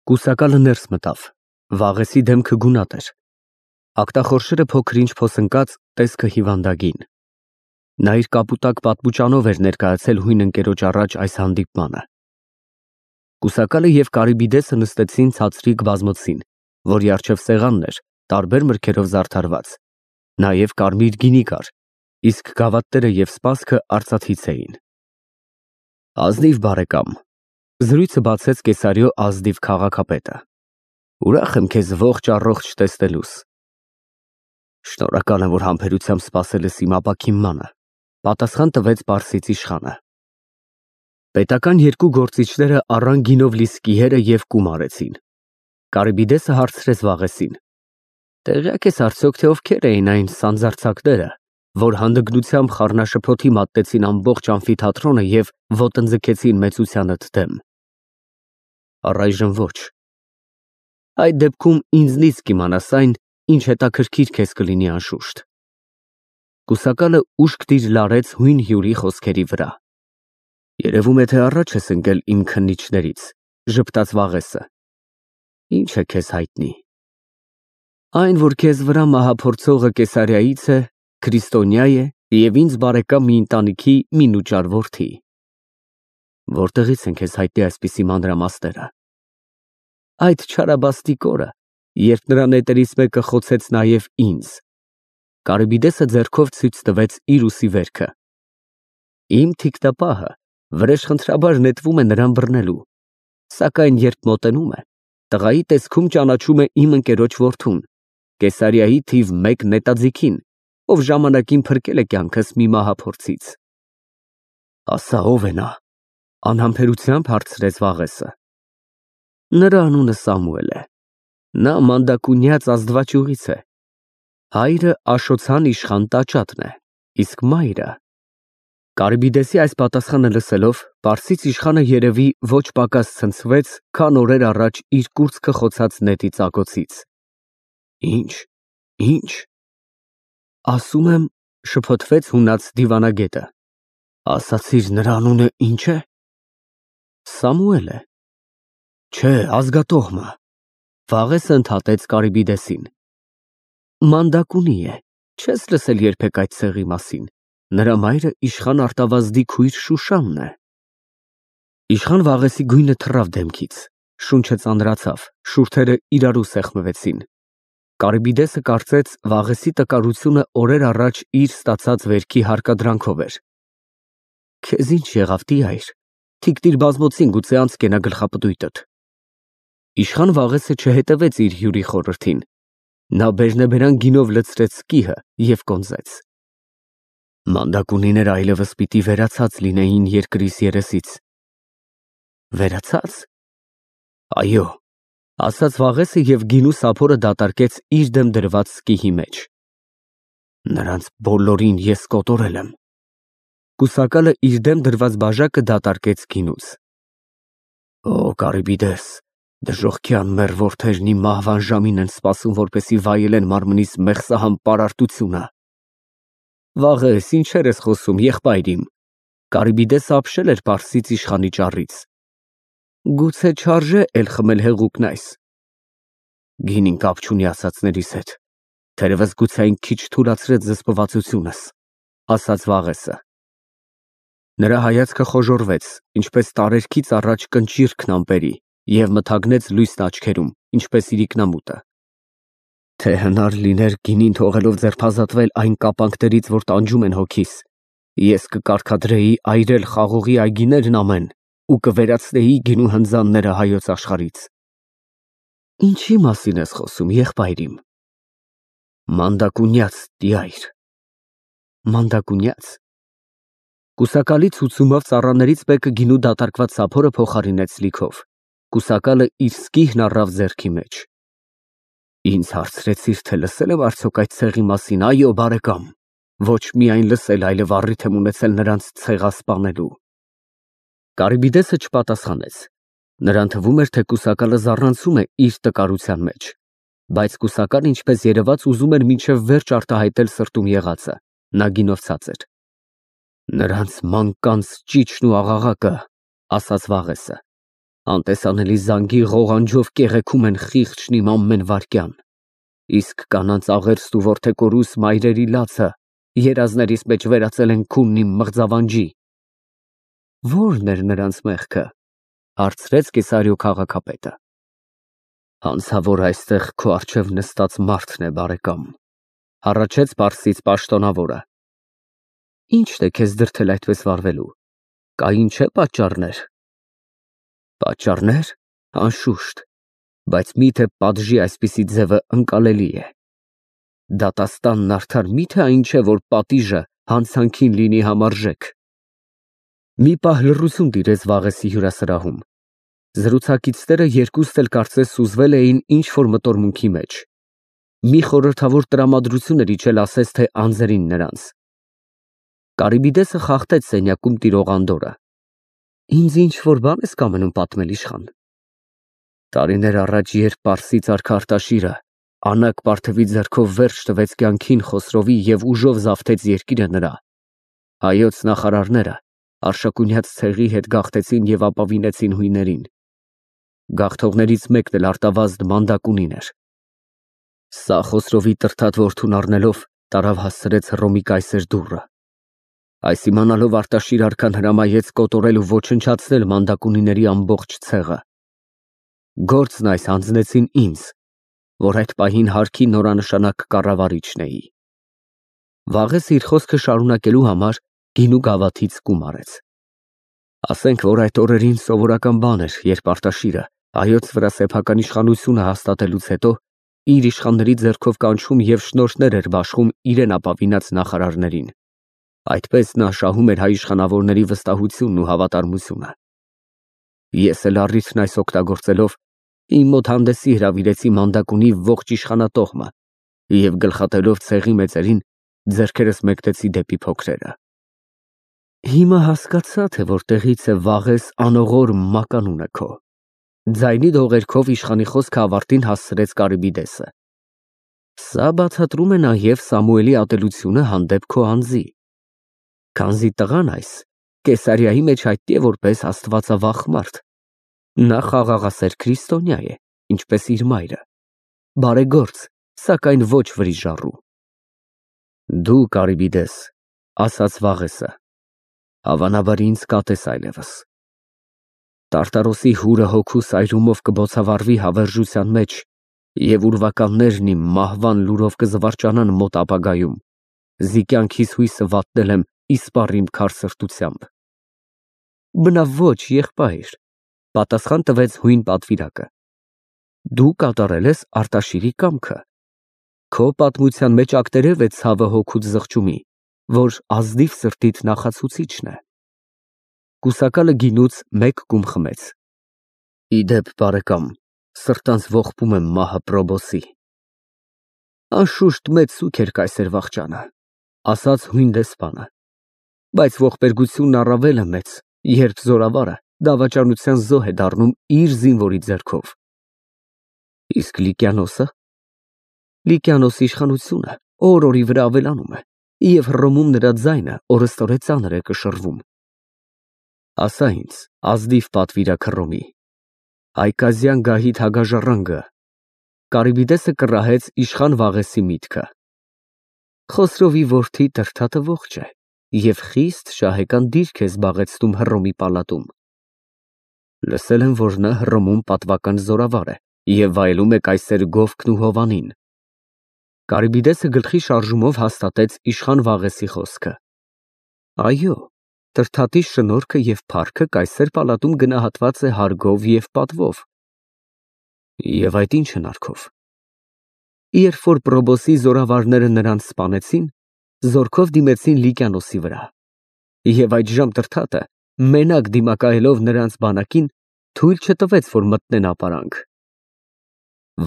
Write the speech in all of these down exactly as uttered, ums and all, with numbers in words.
Կուսակալը ներս մտավ, Վաղեսի դեմքը գունատ էր, ագտախորշերը փոքր-ինչ փոսնկած, տեսքը հիվանդագին։ Նա իր կապուտակ պատմուճանով էր ներկայացել հույն ընկերոջ առաջ այս հանդիպմանը։ Կուսակալը և Կարիբիդեսը նստեցին ցածրիկ բազմոցին, որի առջև սեղանն էր, տարբեր մրգերով զարդարված, նաև կարմիր գինի կար, իսկ գավաթները և սպասքը արծաթից էին։ Ազնիվ բարեկամ, զրույցը բացեց Կեսարիո ազնիվ քաղաքապետը, ուրախ եմ քեզ ողջ առողջ տեսնելուս։ Շնորհակալ եմ, որ համբերությամբ սպասել ես իմ ապաքինմանը, պատասխան տվեց պարսից իշխանը։ Պետական երկու գործիչները առան գինով լի սկիհերը և կում արեցին։ Կարիբիդեսը հարցրեց Վաղեսին. Տեղյակ ես արդյոք, թե ովքեր էին այն սանձարձակները, որ հանդգնությամբ խառնաշփոթի մատնեցին ամբողջ ամֆիթատրոնը և ոտնձգեցին մեծությանդ դեմ։ Առայժմ ոչ։ Այդ դեպքում ինձնից կիմանաս այն, ինչ հետաքրքիր քեզ կլինի անշուշտ։ Կուսակալը ուշք դիր֊լարեց հույն հյուրի խոսքերի վրա։ Երևում է, թե առաջ ես ընկել իմ քննիչներից, ժպտաց Վաղեսը։ Ինչ է քեզ հայտնի։ Այն, որ քեզ վրա մահափորձողը Կեսարիայից է, քրիստոնյա է և ինձ բարեկամ մի ընտանիքի մի նուճար որդի։ Որտեղից են քեզ հայտնի այսպիսի մանրամասները։ Այդ չարաբաստիկ օրը, երբ նրա նետերից մեկը խոցեց նաև ինձ։ Կարիբիդեսը ձեռքով ցույց տվեց իր ուսի վերքը։ Իմ թիկնապահը վրեժխնդրաբար նետվում է նրան բռնելու, սակայն երբ մոտենում է, տղայի տեսքում ճանաչում է իմ ընկերոջ որդուն, Կեսարիայի թիվ մեկ նետաձիգին, ով ժամանակին փրկել է կյանքս մի մահափորձից։ Ասա ով է նա, անհամբերությամբ հարցրեց Վաղեսը։ Նրա անունը Սամուել է, նա մանդակունյաց ազդվաճյուղից է, հայրը Աշոցան իշխան տաճատն է, իսկ մայրը… Կարիբիդեսի այս պատասխանը լսելով, պարսից իշխանը երևի ոչ պակաս ցնցվեց, քան օրեր առաջ իր կուրծքը խոցած նետի ծակոցից։ Ինչ, ինչ… Ասում եմ, շփոթվեց հունած դիվանագետը, ասացիր նրա անունը ի՞նչ է։ Սամուել է։ Չէ, ազգատոհմը։ Վաղեսը ընդհատեց Կարիբիդեսին։ Մանդակունի է, չես լսել երբեք այդ ցեղի մասին, նրա մայրը իշխան Արտավազդի քույր Շուշանն է։ Իշխան Վաղեսի գույնը թռավ դեմքից, շունչը ծանրացավ, շուրթերը իրարու սեղմվեցին։ Կարիբիդեսը կարծեց Վաղեսի տկարությունը օրեր առաջ իր ստացած վերքի հարկադրանքով էր։ Քեզ ինչ եղավ, տյայր, թիկնիր բազմոցին, գուցե անցկենա գլխապտույտդ։ Իշխան Վաղեսը չհետևեց իր հյուրի խորհրդին, նա բերնեբերան գինով լցրեց սկիհը և կոնզեց։ Մանդակունիները այլևս պիտի վերացած լինեին երկրիս երեսից։ Վերացած։ Այո, ասաց Վաղեսը և գինու սափորը դատարկեց իր դեմ դրված սկիհի մեջ։ Նրանց բոլորին ես կոտորել եմ։ Կուսակալը իր դեմ դրված բաժակը դատարկեց գինուց։ Օ, Կարիբիդես, դժոխքյան մեռ որդերն իմ մահվան ժամին են սպասում, որպեսզի վայելեն մարմնիս մեղսահամ պարարտությունը։ Վաղես, ինչեր ես խոսում, եղբայր իմ։ Կարիբիդեսը ապշել էր պարսից իշխանի ճառից։ Գուցե չարժե էլ խմել հեղուկն այս։ Գինին կապ չունի ասածներիս հետ, թերևս գուցե այն քիչ թուլացրեց զսպվածությունս, ասաց Վաղեսը։ Նրա հայացքը խոժոռվեց, ինչպես տարերքից առաջ կնճիռքն ամպերի, և մթագնեց լույսն աչքերում, ինչպես իրիկնամուտը։ Թե հնար լիներ գինին թողելով ձերբազատվել այն կապանքներից, որ տանջում են հոգիս, ես կկարգադրեի այրել խաղողի այգիներն ամեն ու կվերացնեի գինու հնձանները հայոց աշխարհից։ Ինչի մասին ես խոսում, եղբայր իմ։ Մանդակունյաց, տյայր։ Մանդակունյաց։ Կուսակալի ցուցումով ծառաներից մեկը գինու դատարկված սափորը փոխարինեց լիքով։ Կուսակալը իր սկիհն առավ ձեռքի մեջ։ Ինձ հարցրեցիր, թե լսել եմ արդյոք այդ ցեղի մասին, այո, բարեկամ, ոչ միայն լսել, այլև առիթ եմ ունեցել նրանց ցեղասպանելու։ Կարիբիդեսը չպատասխանեց։ Նրան թվում էր, թե կուսակալը զառանցում է իր տկարության մեջ, բայց կուսակալը, ինչպես երևաց, ուզում էր մինչև վերջ արտահայտել սրտում եղածը, նա գինովցած էր։ Նրանց մանկանց ճիճն ու աղաղակը, ասաց Վաղեսը։ Անտեսանելի զանգի ղողանջով կեղեքում են խիղճն իմ ամեն վայրկյան, իսկ կանանց աղերստ ու որդեկորուս մայրերի լացը երազներիս մեջ վերածել են քունն իմ մղձավանջի։ Ո՞րն էր նրանց մեղքը, հարցրեց Կեսարիո քաղաքապետը։ Հանցավոր այստեղ քո առջև նստած մարդն է, բարեկամ, հառաչեց պարսից պաշտոնավորը։ Ի՞նչն է քեզ դրդել այդպես վարվելու, կային չէ պատճառներ։ Պատճառներ, անշուշտ, բայց միթե պատժի այսպիսի ձևը ընկալելի է։ Դատաստանն արդար միթե այն չէ, որ պատիժը հանցանքին լինի համարժեք։ Մի պահ լռություն տիրեց Վաղեսի հյուրասրահում։ Զրուցակիցները երկուստ էլ կարծես սուզվել էին ինչ-որ մտորմունքի մեջ։ Մի խորհրդավոր տրամադրություն էր իջել ասես թե անձերին նրանց։ Կարիբիդեսը խախտեց սենյակում տիրող անդորրը։ Ինձ ինչ-որ բան ես կամենում պատմել, իշխան։ Տարիներ առաջ, երբ Պարսից արքա Արտաշիրը անակ Պարթևի ձեռքով վերջ տվեց կյանքին Խոսրովի և ուժով զավթեց երկիրը նրա, հայոց նախարարները Արշակունյաց ցեղի հետ գաղթեցին և ապավինեցին հույներին։ Գաղթողներից մեկն էլ արտավազդ Մանդակունին էր։ Սա Խոսրովի տրթատ որդուն առնելով տարավ հասցրեց Հռոմի կայսեր դուռը։ Այս իմանալով Արտաշիր արքան հրամայեց կոտորել ու ոչնչացնել Մանդակունիների ամբողջ ցեղը։ Գործն այս հանձնեցին ինձ, որ այդ պահին հարքի նորանշանակ կառավարիչն էի։ Վաղես իր խոսքը շարունակելու համար գինու գավաթից կում արեց։ Ասենք, որ այդ օրերին սովորական բան էր, երբ Արտաշիրը հայոց վրա սեփական իշխանությունը հաստատելուց հետո իր իշխանների ձեռքով կանչում և շնորհներ էր բաշխում իրեն ապավինած նախարարներին։ Այդպես նա շահում էր հայ իշխանավորների վստահությունն ու հավատարմությունը։ Ես էլ առիթն այս օգտագործելով իմ մոտ հանդեսի հրավիրեցի Մանդակունի ողջ իշխանատողմը և գլխատելով ցեղի մեծերին ձեռքերս մեկնեցի դեպի փոքրերը։ Հիմա հասկացա, թե որտեղից է Վաղես անողոր մականունը քո։ Ձայնի դողերքով իշխանի խոսքը ավարտին հասցրեց Կարիբիդեսը։ Սա բացատրում է նաև Սամուելի ատելությունը հանդեպ քո անձի։ Քանզի տղան այս Կեսարիայի մեջ հայտնի է որպես աստվածավախ մարդ։ Նա խաղաղասեր քրիստոնյա է, ինչպես իր մայրը, բարեգործ, սակայն ոչ վրիժառու։ Դու, Կարիբիդես, ասաց Վաղեսը, հավանաբար ինձ կատես այլևս։ Տարտարոսի հուրը հոգու սայրումով կբոցավառվի հավերժության մեջ և ուրվականներն իմ մահվան լուրով կզվարճանան մոտ ապագայում, զի կյանքիս հույսը վատնել եմ իսպառ իմ քար սրտությամբ։ Բնավ ոչ, եղբայր, պատասխան տվեց հույն պատվիրակը։ Դու կատարել ես Արտաշիրի կամքը։ Քո պատմության մեջ ակտերև է ցավը հոգուց զղջումի, որ ազնիվ սրտիդ նախացուցիչն է։ Կուսակալը գինուց մեկ կում խմեց։ Ի դեպ, բարեկամ, սրտանց ողբում եմ մահը Պրոբոսի։ Անշուշտ մեծ սուգ էր կայսեր վախճանը, ասաց հույն դեսպանը, բայց ողբերգությունն առավել է մեծ, երբ զորավարը դավաճանության զոհ է դառնում իր զինվորի ձեռքով։ Իսկ Լիկիանոսը։ Լիկիանոսի իշխանությունը օր֊օրի վրա ավելանում է, և Հռոմում նրա ձայնը օրըստօրե ծանր է կշռվում։ Ասա ինձ, ազնիվ պատվիրակ Հռոմի, Այկազյան գահի թագաժառանգը։ Կարիբիդեսը կռահեց իշխան Վաղեսի միտքը։ Խոսրովի որդի Տրդատը ողջ է և խիստ շահեկան դիրք է զբաղեցնում Հռոմի պալատում։ Լսել եմ, որ նա Հռոմում պատվական զորավար է և վայելում է կայսեր Գովքն ու Հովանին։ Կարիբիդեսը գլխի շարժումով հաստատեց իշխան Վաղեսի խոսքը։ Այո, Տրդատի շնորհքը և փառքը կայսեր պալատում գնահատված է հարգով և պատվով։ Եվ այդ ինչ հնարքով։ Երբ որ Պրոբոսի զորավարները նրանց սպանեցին, զորքով դիմեցին Լիկիանոսի վրա։ Եվ այդժամ Տրդատը, մենակ դիմակայելով նրանց բանակին, թույլ չտվեց, որ մտնեն ապարանք։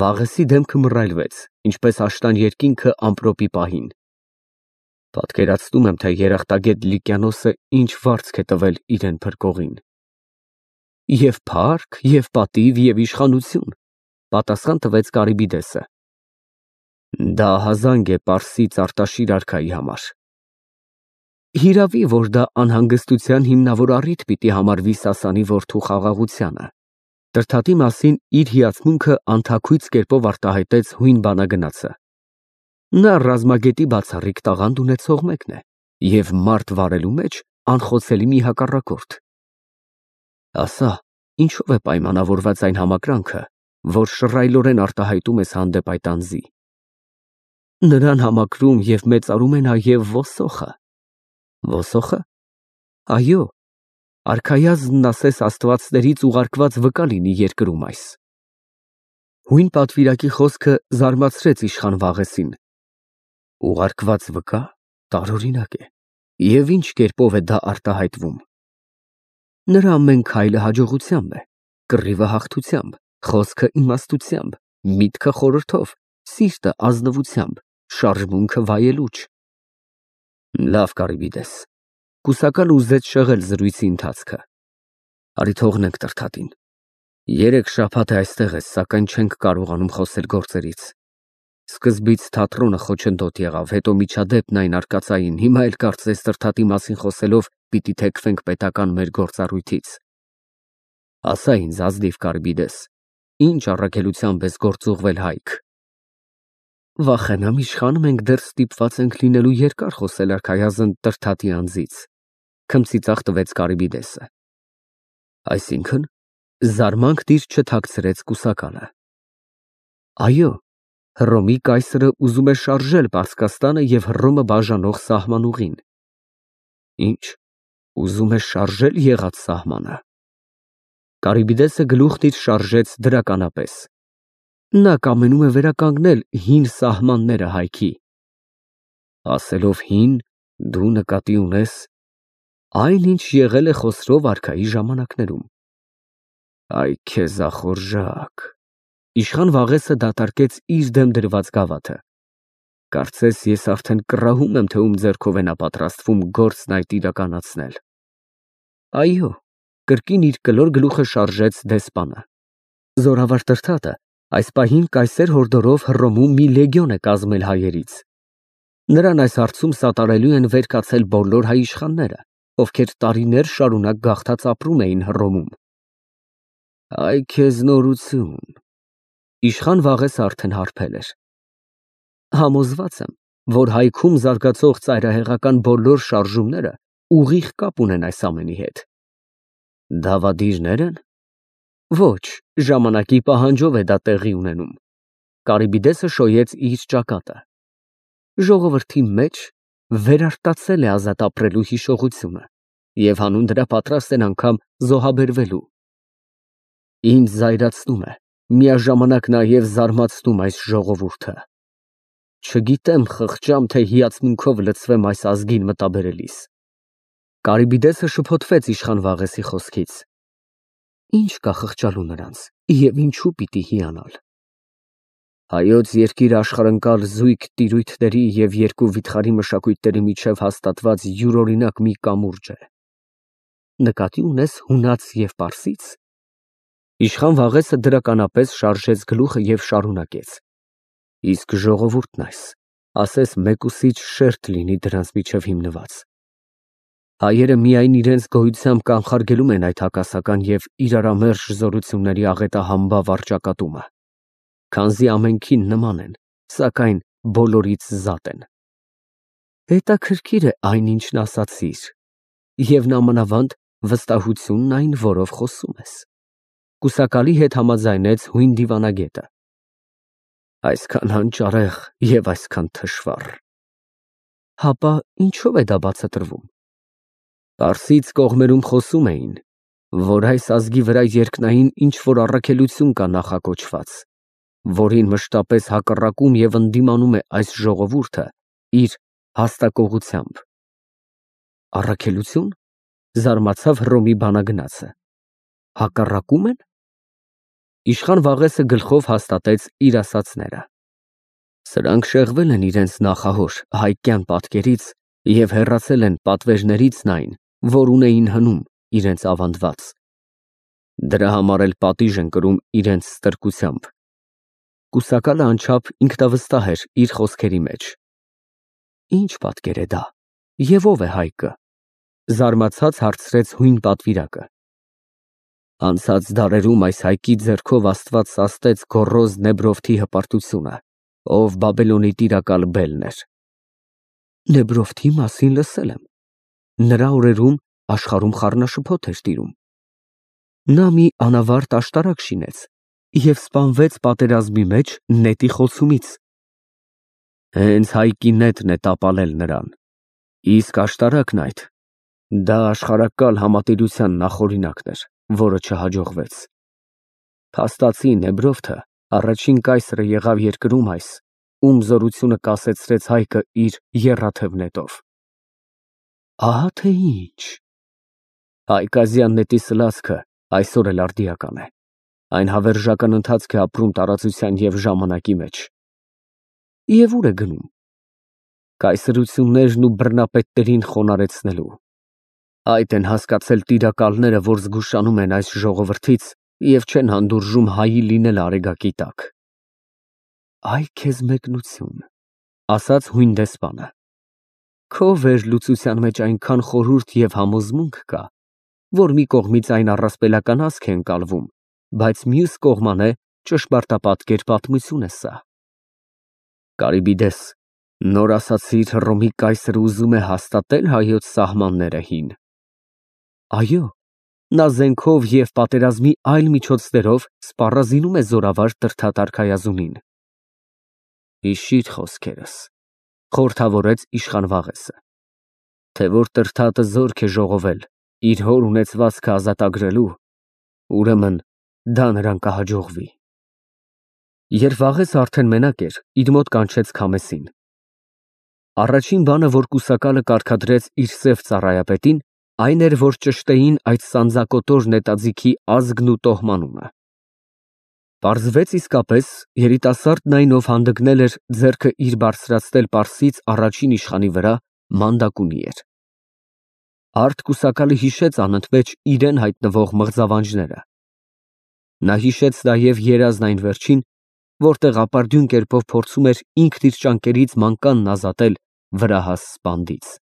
Վաղեսի դեմքը մռայլվեց, ինչպես աշտան երկինքը ամպրոպի պահին։ Պատկերացնում եմ, թե երախտագետ Լիկիանոսը ինչ վարձք է տվել իրեն փրկողին։ Եվ փառք, և պատիվ, և իշխանություն, պատասխան տվեց Կարիբիդեսը։ Դա ահազանգ է Պարսից Արտաշիր արքայի համար։ Հիրավի, որ դա անհանգստության հիմնավոր առիթ պիտի համարվի Սասանի որդու խաղաղությանը։ Տրդատի մասին իր հիացմունքը անթաքույց կերպով արտահայտեց հույն բանագնացը։ Նա ռազմագետի բացառիկ տաղանդ ունեցող մեկն է և մարդ վարելու մեջ անխոցելի մի հակառակորդ։ Ասա, ինչով է պայմանավորված այն համակրանքը, որ շռայլորեն արտահայտում ես հանդեպ այդ անձի։ Նրան համակրում և մեծարում է նաև ոսոխը։ Ոսոխը։ Այո, արքայազնն ասես աստվածներից ուղարկված վկա լինի երկրում այս։ Հույն պատվիրակի խոսքը զարմացրեց իշխան Վաղեսին։ Ուղարկված վկա, տարօրինակ է, և ինչ կերպով է դա արտահայտվում։ Նրա ամեն քայլը հաջողությամբ է, կռիվը հաղթությամբ, խոսքը իմաստությամբ, միտքը խորհրդով, սիրտը ազնվությամբ, շարժմունքը վայելուչ։ Լավ, Կարիբիդես, կուսակալը ուզեց շեղել զրույցի ընթացքը։ Արի թողնենք Տրդատին։ Երեք շաբաթ է այստեղ ես, սակայն չենք կարողանում խոսել գործերից։ Սկզբից թատրոնը խոչընդոտ եղավ, հետո միջադեպն այն արկածային, հիմա էլ կարծես Տրդատի մասին խոսելով պիտի թեքվենք պետական մեր գործառույթից։ Ասա ինձ, ազնիվ Կարիբիդես, ինչ առաքելությամբ ես գործուղվել Հայք։ Վախենամ, իշխան, մենք դեռ ստիպված ենք լինելու երկար խոսել արքայազն Տրդատի անձից, քմծիծաղ տվեց Կարիբիդեսը։ Այսինքն, զարմանք դիր չթաքցրեց կուսակալը։ Այո, Հռոմի կայսրը ուզում է շարժել Պարսկաստանը և Հռոմը բաժանող սահմանուղին։ Ինչ, ուզում է շարժել եղած սահմանը։ Կարիբիդեսը գլուխն իր շարժեց դրականապես։ Նա կամենում է վերականգնել հին սահմանները Հայքի։ Ասելով հին, դու նկատի ունես այն, ինչ եղել է Խոսրով արքայի ժամանակներում։ Այ քեզ ախորժակ։ Իշխան Վաղեսը դատարկեց իր դեմ դրված գավաթը։ Կարծես ես արդեն կռահում եմ, թե ում ձեռքով է նա պատրաստվում գործն այդ իրականացնել։ Այո, կրկին իր կլոր գլուխը շարժեց դեսպանը։ Զորավար Տրդատը այս պահին կայսեր հորդորով Հռոմում մի լեգիոն է կազմել հայերից։ Նրան այս հարցում սատարելու են վեր կացել բոլոր հայ իշխանները, ովքեր տարիներ շարունակ գաղթած ապրում էին Հռոմում։ Այ քեզ նորություն։ Իշխան Վաղեսը արդեն հարբել էր։ Համոզված եմ, որ Հայքում զարգացող ծայրահեղական բոլոր շարժումները ուղիղ կապ ունեն այս ամենի հետ։ Դավադիրնե՞ր են։ Ոչ, ժամանակի պահանջով է դա տեղի ունենում։ Կարիբիդեսը շոյեց իր ճակատը։ Ժողովրդի մեջ վերարտացել է ազատ ապրելու հիշողությունը և հանուն դրա պատրաստ են անգամ զոհաբերվելու։ Ինձ զայրացնում է, միաժամանակ նաև զարմացնում այս ժողովուրդը։ Չգիտեմ խղճամ, թե հիացմունքով լցվեմ այս ազգին մտաբերելիս։ Կարիբիդեսը շփոթվեց իշխան Վաղեսի խոսքից։ Ինչ կա խղճալու նրանց և ինչու պիտի հիանալ։ Հայոց երկիրը աշխարհընկալ զույգ տիրույթների և երկու վիթխարի մշակույթների միջև հաստատված յուրօրինակ մի կամուրջ է։ Նկատի ունես հունաց և պարսից։ Իշխան Վաղեսը դրականապես շարժեց գլուխը և շարունակեց. Իսկ ժողովուրդն այս, ասես մեկուսիչ շերտ լինի դրանց միջև հիմնված։ Հայերը միայն իրենց գոյությամբ կանխարգելում են այդ հակասական և իրարամերժ զորությունների աղետահամբավ առճակատումը, քանզի ամենքին նման են, սակայն բոլորից զատ են։ Հետաքրքիր է այն, ինչն ասացիր, և նամանավանդ վստահությունն այն, որով խոսում ես։ Կուսակալի հետ համաձայնեց հույն դիվանագետը։ Այսքան հանճարեղ և այսքան թշվառ։ Հապա ինչով է դա բացատրվում։ Պարսից կողմերում խոսում էին, որ այս ազգի վրա երկնային ինչ-որ առաքելություն կա նախակոչված, որին մշտապես հակառակում և ընդդիմանում է այս ժողովուրդը իր հաստակողությամբ։ Առաքելությո՞ւն, զարմացավ Հռոմի բանագնացը։ Հակառակում են։ Իշխան Վաղեսը գլխով հաստատեց իր ասածները։ Սրանք շեղվել են իրենց նախահոր հայկյան պատկերից և հեռացել են պատվերներից այն, որ ունեին հնում իրենց ավանդված։ Դրա համար էլ պատիժ են կրում իրենց ստրկությամբ։ Կուսակալը անչափ ինքնավստահ էր իր խոսքերի մեջ։ Ինչ պատկեր է դա, և ով է Հայկը։ Զարմացած հարցրեց հույն պատվիրակը։ Անցած դարերում այս հայկի ձեռքով Աստված սաստեց գոռոզ Նեբրովթի հպարտությունը, ով Բաբելոնի տիրակալ Բելն էր։ Նեբրովթի մասին լսել եմ։ Նրա օրերում աշխարհում խառնաշփոթ էր տիրում։ Նա մի անավարտ աշտարակ շինեց և սպանվեց պատերազմի մեջ նետի խոցումից։ Հենց հայկի նետն է տապալել նրան, իսկ աշտարակն այդ, դա աշխարհակալ համատիրության նախօրինակն էր, որը չհաջողվեց։ Փաստացի Նեբրովթը առաջին կայսրը եղավ երկրում այս, ում զորությունը կասեցրեց հայկը իր եռաթև նետով։ Ահա թե ինչ։ Հայկազյան նետի սլացքը այսօր էլ արդիական է։ Այն հավերժական ընթացք է ապրում տարածության և ժամանակի մեջ։ Եվ ուր է գնում։ Կայսրություններն ու բռնապետներին խոնարհեցնելու։ Այդ են հասկացել տիրակալները, որ զգուշանում են այս ժողովրդից և չեն հանդուրժում հայի լինել արեգակի տակ։ Այ քեզ մեկնություն, ասաց հույն դեսպանը։ Քո վերլուծության մեջ այնքան խորհուրդ և համոզմունք կա, որ մի կողմից այն առասպելական ասք է ընկալվում, բայց մյուս կողմանե ճշմարտապատկեր պատմություն է սա։ Կարիբիդես, նոր ասացիր Հռոմի կայսրը ուզում է հաստատել հայոց սահմանները հին։ Այո, նա զենքով և պատերազմի այլ միջոցներով սպառազինում է զորավար Տրդատ արքայազունին։ Հիշիր խոսքերս, խորհրդավորեց իշխան Վաղեսը, թե որ Տրդատը զորք է ժողովել իր հոր ունեցվածքը ազատագրելու, ուրեմն դա նրան կհաջողվի։ Երբ Վաղեսը արդեն մենակ էր, իր մոտ կանչեց Քամեսին։ Առաջին բանը, որ կուսակալը կարգադրեց իր սև ծառայապետին, այն էր, որ ճշտեին այդ սանձակոտոր նետաձիգի ազգն ու տոհմանումը։ Պարզվեց իսկապես, երիտասարդն այն, ով հանդգնել էր ձեռքը իր բարձրացնել Պարսից առաջին իշխանի վրա, մանդակունի էր։ Արդ կուսակալը հիշեց անընդմեջ իրեն հայտնվող մղձավանջները։ Նա հիշեց նաև երազն այն վերջին, որտեղ ապարդյուն կերպով փորձում էր ինքն իր ճանկերից մանկանն ազատել վրահաս սպանդից։